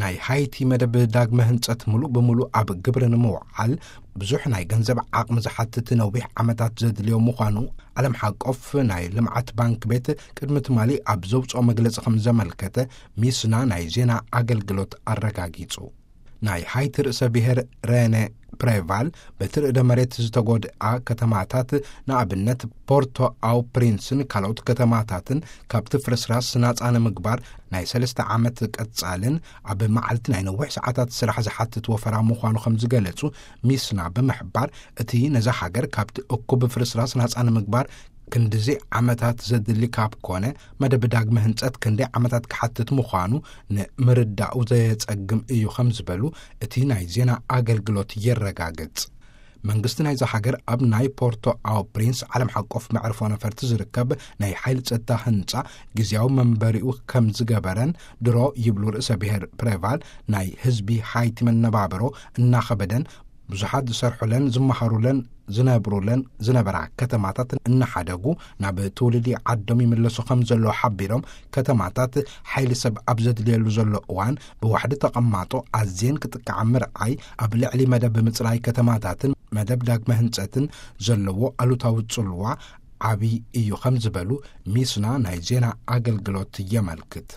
ናይ ሃይቲ መደብ ዳግመ ህንጸት ምሉእ ብምሉእ ኣብ ግብሪ ንምውዓል ብዙሕ ናይ ገንዘብ ዓቕሚ ዝሓትት ነዊሕ ዓመታት ዘድልዮ ምዃኑ ዓለም ሓቆፍ ናይ ልምዓት ባንክ ቤት ቅድሚ ትማሊ ኣብ ዘውጽኦ መግለጺ ከም ዘመልከተ ሚስና ናይ ዜና ኣገልግሎት ኣረጋጊጹ። ናይ ሃይቲ ርእሰ ብሔር ረነ ፕሬቫል በቲ ርእደ መሬት ዝተጎድኣ ከተማታት ንኣብነት ፖርቶ ኣው ፕሪንስን ካልኦት ከተማታትን ካብቲ ፍርስራስ ናጻ ንምግባር ናይ ሰለስተ ዓመት ቀጻልን ኣብ መዓልቲ ናይ ነዊሕ ሰዓታት ስራሕ ዝሓትት ወፈራ ምዃኑ ከም ዝገለጹ ሚስና ብምሕባር፣ እቲ ነዛ ሃገር ካብቲ እኩብ ፍርስራስ ናጻ ንምግባር ክንድዚ ዓመታት ዘድሊ ካብ ኮነ፣ መደብ ዳግመ ህንጸት ክንደይ ዓመታት ክሓትት ምዃኑ ንምርዳኡ ዘየጸግም እዩ ከም ዝበሉ እቲ ናይ ዜና ኣገልግሎት የረጋግጽ። መንግስቲ ናይዛ ሃገር ኣብ ናይ ፖርቶ ኣው ፕሪንስ ዓለም ሓቆፍ መዕርፎ ነፈርቲ ዝርከብ ናይ ሓይሊ ጸጥታ ህንጻ ግዜያዊ መንበሪኡ ከም ዝገበረን ድሮ ይብሉ ርእሰ ብሔር ፕሬቫል፣ ናይ ህዝቢ ሃይቲ መነባብሮ እናኸበደን ብዙሓት ዝሰርሑለን ዝመሃሩለን ዝነብሩለን ዝነበራ ከተማታት እናሓደጉ ናብ ትውልዲ ዓዶም ይምለሱ ከም ዘለዉ ሓቢሮም፣ ከተማታት ሓይሊ ሰብ ኣብ ዘድልየሉ ዘሎ እዋን ብዋሕዲ ተቐማጦ ኣዝየን ክጥቃዓ ምርዓይ ኣብ ልዕሊ መደብ ምጽራይ ከተማታትን መደብ ዳግመ ህንጸትን ዘለዎ ኣሉታዊ ጽልዋ ዓብዪ እዩ ከም ዝበሉ ሚስና ናይ ዜና ኣገልግሎት የመልክት።